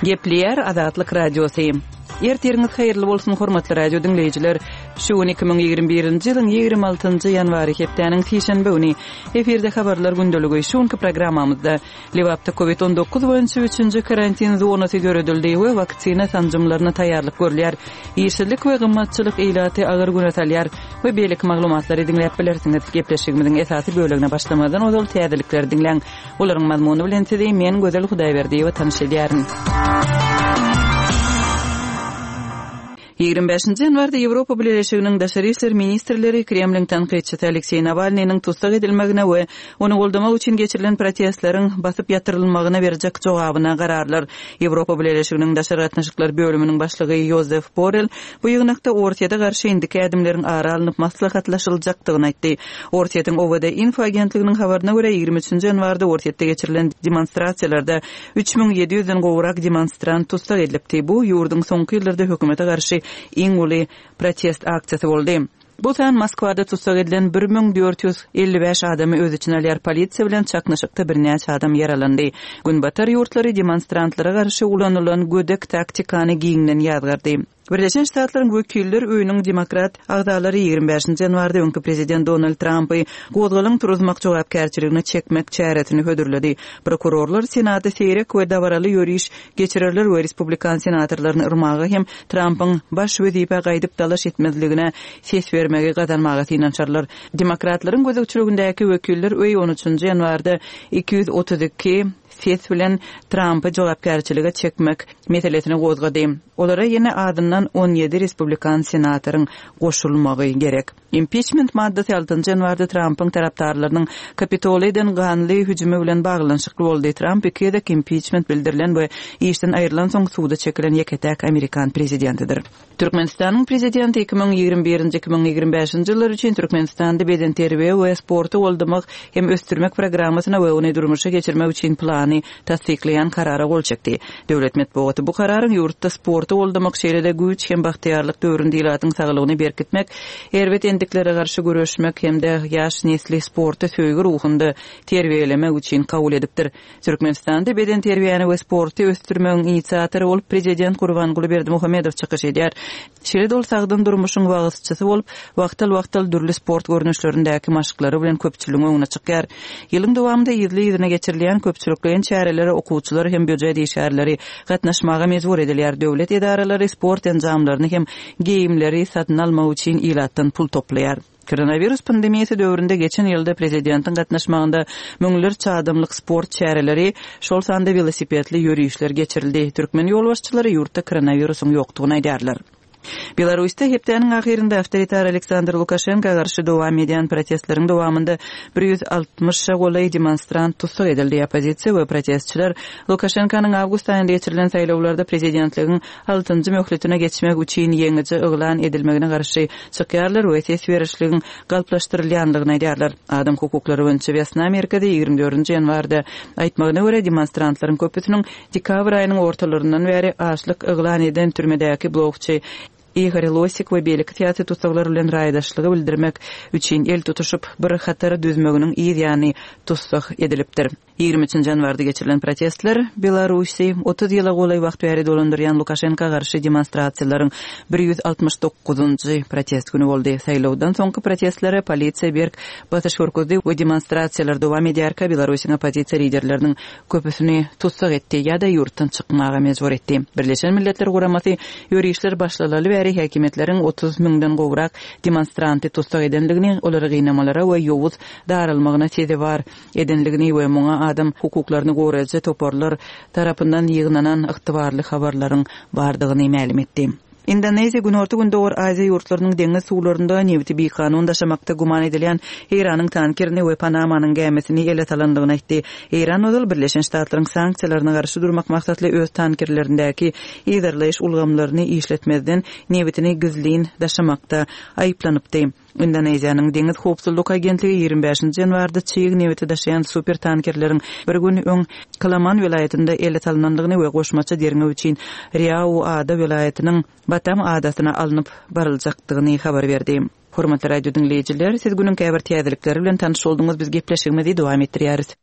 Gepleýär Azatlyk Radiosy. Ertiriňiz haýyrly bolsun, hormatly radio diňleýjiler. Şu gün 2021-nji ýylyň 26-njy ýanwary hepdäniň sişenbe güni. Efirde habarlar gündeligi. Şu günki programmamyzda Lebapda Covid 19 boýunça üçünji karantin zonasy döredildi we waksina sanjymlaryna taýýarlyk görülýär. Işsizlik we gymmatçylyk ilaty agyr güne salýar we beýleki maglumatlary diňläp bilersiňiz. Gepleşigimiziň esasy bölegine başlamazdan ozal täzelikleri diňläň. Olaryň mazmuny bilen sizi men Gözel Hudaýberdiýewa tanyş edýärin. 25-nji ýanwarda Ýewropa Bileleşiginiň daşary işler ministrleri Kremliň tankytçysy Alekseý Nawalnynyň tussag edilmegine we ony goldamak üçin geçirilen protestleriň basyp ýatyrylmagyna berjek jogabyna gararlar. Ýewropa Bileleşiginiň daşary gatnaşyklar bölüminiň başlygy Ýozef Borrel bu ýygnakda Orsýete garşy indiki ädimleriň ara alnyp maslahatlaşyljakdygyny aýtdy. Orsýetiň OWD-Info agentliginiň habaryna görä, 23-nji ýanwarda Orsýetde geçirilen demonstrasiýalarda 3700 den gowrak demonstrant tussag edilipdi. Bu, ýurduň soňky ýyllarda hökümete garşy iň uly protest aksiýasy boldy. Bu san Moskwada tussag edilen 1455 adamy öz içine alýar. Polisiýa bilen çaknyşykda birnäçe adam ýaralandy. Günbatar ýurtlary demonstrantlara garşy ulanylan gödek taktikany giňden ýazgardy. Birleşen Ştatlaryň Wekiller öýüniň demokrat agzalary 25-nji ýanwarda öňki prezident Donald Trampy gozgalaň turuzmak jogapkärçiligine çekmek çäresini hödürledi. Prokurorlar Senata seýrek we dabaraly ýöriş geçirerler we respublikan senatorlaryny yrmaga hem Trampyň baş wezipä gaýdyp dalaş etmezligine ses bermegi gazanmaga synanyşarlar. Demokratlaryň gözegçiligindäki Wekiller öýi on üçünji ýanwarda 232 ses bilen Trampy jogapkärçilige çekmek meselesini gozgady. Olara ýene azyndan 17 respublikan senatoryň goşulmagy gerek. Impiçment maddasy altynjy ýanwarda Trampyň tarapdarlarynyň Kapitola eden ganly hüjümi bilen baglanyşykly boldy. Tramp iki gezek impiçment bildirilen we işden aýrylansoň suda çekilen ýeke-täk amerikan prezidentidir. Türkmenistanyň Prezidenti 2021-nji, 2025-nji ýyllar üçin Türkmenistanda bedenterbiýe we sporty goldamak hem ösdürmek programmasyna we ony durmuşa geçirmek üçin plany tassyklaýan Karara gol çekdi. Döwlet metbugaty bu Kararyň ýurtda sporty goldamak, şeýle-de güýç hem bagtyýarlyk döwründe ilatyň saglygyny berkitmek, erbet endiklere garşy göreşmek hem-de ýaş nesli sporta söýgi ruhunda terbiýelemek üçin kabul edipdir. Türkmenistanda bedenterbiýäni we sporty ösdürmegiň inisiatory bolup prezident Gurbanguly Berdimuhamedow çykyş edýär. Şeýle-de ol sagdyn durmuşyň wagyzçysy bolup, wagtal-wagtal dürli sport görnüşlerindäki maşklary bilen köpçüligiň öňüne çykýar. Ýylyň dowamynda yzly-yzyna geçirilýän köpçülikleýin çärelere okuwçylar hem býujet işgärleri gatnaşmaga mejbur edilýär. Döwlet edaralary sport enjamlaryny hem geýimleri satyn almak üçin ilatdan pul toplaýar. Koronawirus pandemiýasy döwründe geçen ýylda prezidentiň gatnaşmagynda müňlerçe adamlyk sport çäreleri, şol sanda welosipedli ýörişler geçirildi. Türkmen ýolbaşçylary ýurtda koronawirusyň ýokdugyny aýdýarlar. Belarusda hepdäniň ahyrynda awtoritar Aleksandr Lukaşenka garşy dowam edýän protestleriň dowamynda 160-a golaý demonstrant tussag edildi. Oppozisiýa we protestçiler Lukaşenkanyň awgust aýynda geçirilen saýlawlarda prezidentligiň altynjy möhletine geçmek üçin ýeňiji yglan edilmegine garşy çykýarlar we ses berişligiň galplaşdyrylýandygyny aýdýarlar. Adam hukuklary boýunça Wesna merkezi 24-nji ýanwarda aýtmagyna görä, demonstrantlaryň köpüsiniň dekabr aýynyň ortalaryndan bäri açlyk yglan eden türmedäki blogçy Igor Losik we beýleki syýasy tussaglar bilen raýdaşlygy bildirmek üçin el tutuşyp, bir hatar düzmeginiň yz ýany tussag edilipdir. 23 ýanwarda geçirilen protestler Belarusy 30 ýyla golaý wagt bäri dolandyrýan Lukaşenka garşy demonstrasiýalaryň 169-njy protest güni boldy. Saýlawdan soňky protestlere polisiýa berk basyş görkezdi we demonstrasiýalar dowam edýärkä Belarusyň oppozisiýa liderleriniň köpüsini tussag etdi ýa-da ýurtdan çykmaga mejbur etdi. Birleşen Milletler Guramasy ýörişler başlalaly bäri häkimiýetleriň 30 müňden gowrak demonstranty tussag edendigini, olary gynamalara we ýowuz daralmagyna sezewar edendigini we muňa adam hukuklaryny goraýjy toparlar tarapyndan ýygnanan ygtybarly habarlaryň bardygyny mälim etdi. Indoneziýa Günorta-Gündogar Aziýa ýurtlarynyň deňiz suwlarynda nebiti bikanun daşamakda güman edilýän Eýranyň tankerini we Panamanyň gämisini ele salandygyny aýtdy. Eýran ozal Birleşen Ştatlaryň sanksiýalaryna garşy durmak maksatly öz tankerlerindäki yzarlaýyş ulgamlaryny işletmezden nebitini gizlin daşamakda aýyplanypdy. Indoneziýanyň Deňiz howpsuzlyk agentligi 25-nji ýanwarda çig nebiti daşaýan super tankerleriň bir gün öň Kalaman welaýatynda ele salnandygyny we goşmaça derňew üçin Riau ada welaýatynyň Batam adasyna alnyp baryljakdygyny habar berdi. Hormatly radio diňleýjiler, siz günüň käbir täzelikleri bilen tanyş bolduňyz, biz gepleşigimizi dowam etdirýäris.